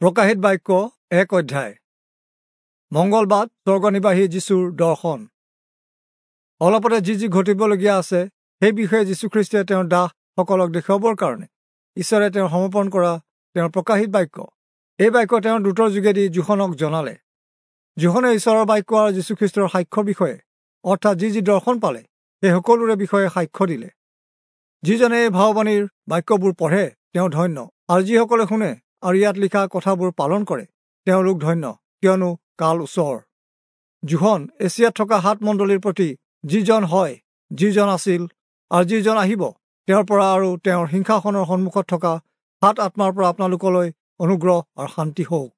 প্ৰকাশিত বাক্য 1 অধ্যায়। মংগলবাদ স্বৰ্গনিবাসী যীশুৰ দৰ্শন। অলপতে যি যি ঘটিবলগীয়া আছে সেই বিষয়ে যীশুখ্ৰীষ্টে তেওঁৰ দাসসকলক দেখুৱাবৰ কাৰণে ঈশ্বৰে তেওঁ সমৰ্পণ কৰা তেওঁৰ প্ৰকাশিত বাক্য। এই বাক্য তেওঁৰ দূতৰ যোগেদি যোহনক জনালে। যোহনে ঈশ্বৰৰ বাক্য আৰু যীশুখ্ৰীষ্টৰ সাক্ষ্যৰ বিষয়ে, অৰ্থাৎ যি যি দৰ্শন পালে সেই সকলোৰে বিষয়ে সাক্ষ্য দিলে। যিজনে এই ভাৱবাণীৰ বাক্যবোৰ পঢ়ে তেওঁ ধন্য, আৰু যিসকলে শুনে আৰু ইয়াত লিখা কথাবোৰ পালন কৰে তেওঁলোক ধন্য, কিয়নো কাল ওচৰ। যোহন এছিয়াত থকা সাত মণ্ডলীৰ প্ৰতি যিজন হয়, যিজন আছিল আৰু যিজন আহিব, তেওঁৰ পৰা আৰু তেওঁৰ সিংহাসনৰ সন্মুখত থকা সাত আত্মাৰ পৰা আপোনালোকলৈ অনুগ্ৰহ আৰু শান্তি হওক।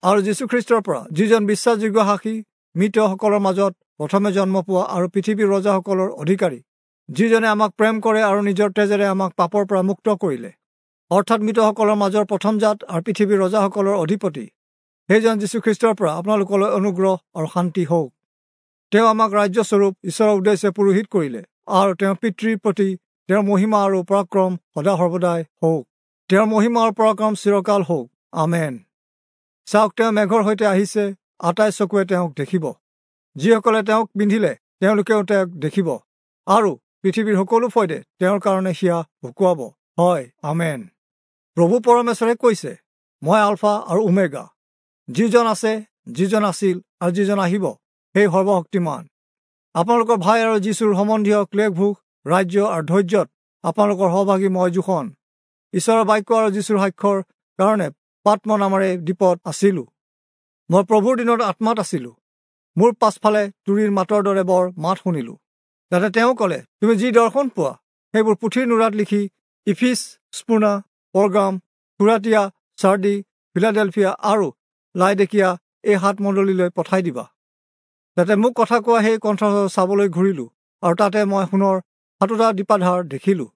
আৰু যীশুখ্ৰীষ্টৰ পৰা, যিজন বিশ্বাসযোগ্য সাক্ষী, মৃতসকলৰ মাজত প্ৰথমে জন্ম পোৱা আৰু পৃথিৱীৰ ৰজাসকলৰ অধিকাৰী, যিজনে আমাক প্ৰেম কৰে আৰু নিজৰ তেজেৰে আমাক পাপৰ পৰা মুক্ত কৰিলে, অৰ্থাৎ মৃতসকলৰ মাজৰ প্ৰথমজাত আৰু পৃথিৱীৰ ৰজাসকলৰ অধিপতি, সেইজন যীশুখ্ৰীষ্টৰ পৰা আপোনালোকলৈ অনুগ্ৰহ আৰু শান্তি হওক। তেওঁ আমাক ৰাজ্যস্বৰূপ ঈশ্বৰৰ উদ্দেশ্যে পুৰোহিত কৰিলে, আৰু তেওঁৰ পিতৃৰ প্ৰতি তেওঁৰ মহিমা আৰু পৰাক্ৰম সদা সৰ্বদাই হওক। তেওঁৰ মহিমা আৰু পৰাক্ৰম চিৰকাল হওক। আমেন। চাওক, তেওঁ মেঘৰ সৈতে আহিছে, আটাই চকুৱে তেওঁক দেখিব। যিসকলে তেওঁক পিন্ধিলে তেওঁলোকেও তেওঁক দেখিব, আৰু পৃথিৱীৰ সকলো ফৈদে তেওঁৰ কাৰণে হিয়া ভুকুৱাব। হয়, আমেন। প্ৰভু পৰমেশ্বৰে কৈছে, মই আলফা আৰু ওমেগা, যিজন আছে, যিজন আছিল আৰু যিজন আহিব, সেই সৰ্বশক্তিমান। আপোনালোকৰ ভাই আৰু যীশুৰ সম্বন্ধীয় ক্লেশভোগ, ৰাজ্য আৰু ধৈৰ্যত আপোনালোকৰ সহভাগী মই যোহন, ঈশ্বৰৰ বাক্য আৰু যীশুৰ সাক্ষ্যৰ কাৰণে পাত্ম নামেৰে দ্বীপত আছিলোঁ। মই প্ৰভুৰ দিনত আত্মাত আছিলোঁ। মোৰ পাছফালে তুৰীৰ মাতৰ দৰে বৰ মাত শুনিলোঁ। তাতে তেওঁ ক'লে, তুমি যি দৰ্শন পোৱা সেইবোৰ পুথিৰ নুৰাত লিখি ইফিচ, স্পুনা, পৰগাম, থুৰাটিয়া, চাৰ্ডি, ফিলাডেলফিয়া আৰু লাইডেকিয়া এই সাত মণ্ডলীলৈ পঠাই দিবা। তাতে মোক কথা কোৱা সেই কণ্ঠ চাবলৈ ঘূৰিলোঁ, আৰু তাতে মই সোণৰ সাতোটা দীপাধাৰ দেখিলোঁ,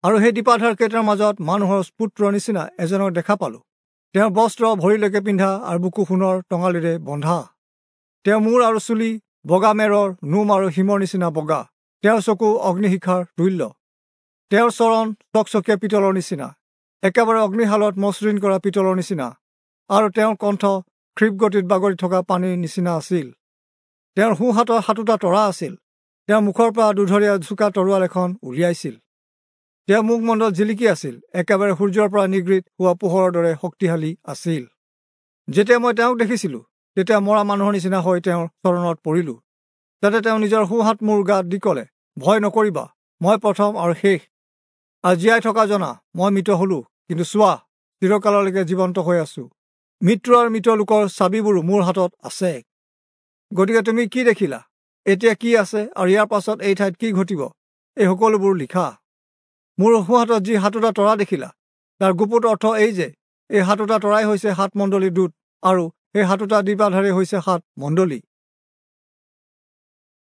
আৰু সেই দীপাধাৰ কেইটাৰ মাজত মানুহৰ পুত্ৰৰ নিচিনা এজনক দেখা পালোঁ। তেওঁৰ বস্ত্ৰ ভৰিলৈকে পিন্ধা আৰু বুকু সোণৰ টঙালিৰে বন্ধা। তেওঁৰ মূৰ আৰু চুলি বগা মেৰৰ নোম আৰু হিমৰ নিচিনা বগা। তেওঁৰ চকু অগ্নিশিখাৰ তুল্য। তেওঁৰ চৰণ চকচকীয়া পিতলৰ নিচিনা, একেবাৰে অগ্নিশালত মসৃণ কৰা পিতলৰ নিচিনা, আৰু তেওঁৰ কণ্ঠ ক্ষীপ্ৰ গতিত বাগৰি থকা পানীৰ নিচিনা আছিল। তেওঁৰ সোঁহাতত সাতোটা তৰা আছিল। তেওঁৰ মুখৰ পৰা দুধৰীয়া চোকা তৰোৱাল এখন উলিয়াইছিল। তেওঁৰ মুখমণ্ডল জিলিকি আছিল, একেবাৰে সূৰ্যৰ পৰা নিগৃহীত হোৱা পোহৰৰ দৰে শক্তিশালী আছিল। যেতিয়া মই তেওঁক দেখিছিলোঁ, তেতিয়া মৰা মানুহৰ নিচিনা হৈ তেওঁৰ চৰণত পৰিলোঁ। তাতে তেওঁ নিজৰ সোঁহাত মোৰ গাত দি ক'লে, ভয় নকৰিবা, মই প্ৰথম আৰু শেষ, আৰু জীয়াই থকা জনা। মই মৃত হলোঁ, কিন্তু চোৱা, চিৰকাললৈকে জীৱন্ত হৈ আছোঁ। মৃত্যু আৰু মৃত লোকৰ চাবিবোৰো মোৰ হাতত আছে। গতিকে তুমি কি দেখিলা, এতিয়া কি আছে, আৰু ইয়াৰ পাছত এই ঠাইত কি ঘটিব, এই সকলোবোৰ লিখা। মোৰ সোঁহাতত যি সাতোটা তৰা দেখিলা, তাৰ গুপুত অৰ্থ এই যে এই সাতোটা তৰাই হৈছে সাত মণ্ডলীৰ দূত, আৰু সেই সাতোটা দীপাধাৰেই হৈছে সাত মণ্ডলী।